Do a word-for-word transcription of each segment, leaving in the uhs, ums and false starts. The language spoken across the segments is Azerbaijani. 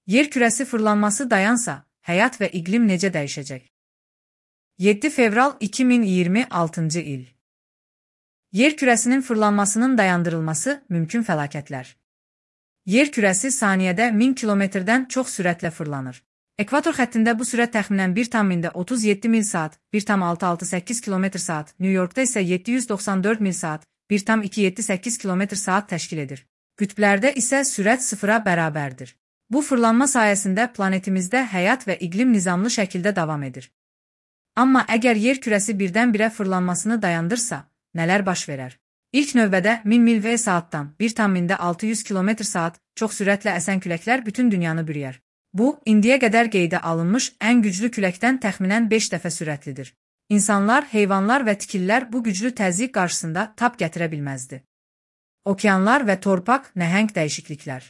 Yer kürəsi fırlanması dayansa, həyat və iqlim necə dəyişəcək? yeddi fevral iki min iyirmi altıncı il. Yer kürəsinin fırlanmasının dayandırılması mümkün fəlakətlər. Yer kürəsi saniyədə min kilometrdən çox sürətlə fırlanır. Ekvator xəttində bu sürət təxminən bir tam otuz yeddi mil saat, bir tam altı altı səkkiz kilometr saat, New Yorkda isə yeddi yüz doxsan dörd mil saat, bir tam iki yeddi səkkiz kilometr saat təşkil edir. Qütblərdə isə sürət sıfıra bərabərdir. Bu fırlanma sayəsində planetimizdə həyat və iqlim nizamlı şəkildə davam edir. Amma əgər yer kürəsi birdən-birə fırlanmasını dayandırsa, nələr baş verər? İlk növbədə min mil və saatdan bir tam altı yüz kilometr saat çox sürətlə əsən küləklər bütün dünyanı bürüyər. Bu, indiyə qədər qeydə alınmış ən güclü küləkdən təxminən beş dəfə sürətlidir. İnsanlar, heyvanlar və tikillər bu güclü təzyiq qarşısında tab gətirə bilməzdi. Okeanlar və torpaq nəhəng dəyişikliklər.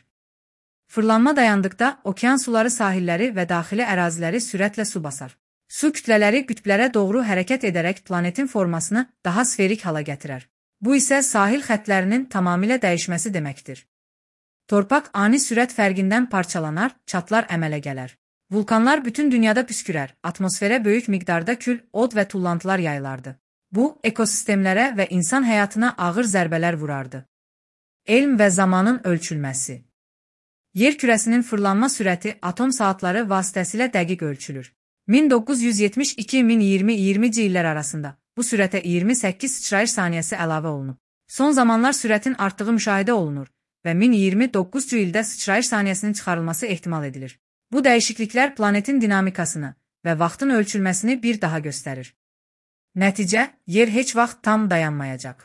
Fırlanma dayandıqda okean suları sahilləri və daxili əraziləri sürətlə su basar. Su kütlələri qütblərə doğru hərəkət edərək planetin formasını daha sferik hala gətirər. Bu isə sahil xəttlərinin tamamilə dəyişməsi deməkdir. Torpaq ani sürət fərqindən parçalanar, çatlar əmələ gələr. Vulkanlar bütün dünyada püskürər, atmosferə böyük miqdarda kül, od və tullantılar yayılardı. Bu, ekosistemlərə və insan həyatına ağır zərbələr vurardı. Elm və zamanın ölçülməsi. Yer kürəsinin fırlanma sürəti atom saatları vasitəsilə dəqiq ölçülür. min doqquz yüz yetmiş iki min iyirmi iyirmici illər arasında bu sürətə iyirmi səkkiz sıçrayış saniyəsi əlavə olunub. Son zamanlar sürətin artdığı müşahidə olunur və min iyirmi doqquzuncu ildə sıçrayış saniyəsinin çıxarılması ehtimal edilir. Bu dəyişikliklər planetin dinamikasını və vaxtın ölçülməsini bir daha göstərir. Nəticə, yer heç vaxt tam dayanmayacaq.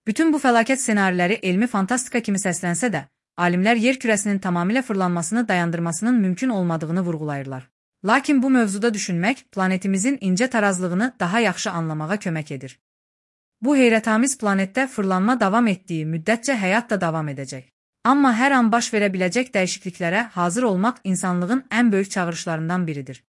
Bütün bu fəlakət ssenariləri elmi fantastika kimi səslənsə də, alimlər yer kürəsinin tamamilə fırlanmasını dayandırmasının mümkün olmadığını vurğulayırlar. Lakin bu mövzuda düşünmək planetimizin incə tarazlığını daha yaxşı anlamağa kömək edir. Bu heyrətamiz planetdə fırlanma davam etdiyi müddətcə həyat da davam edəcək. Amma hər an baş verə biləcək dəyişikliklərə hazır olmaq insanlığın ən böyük çağırışlarından biridir.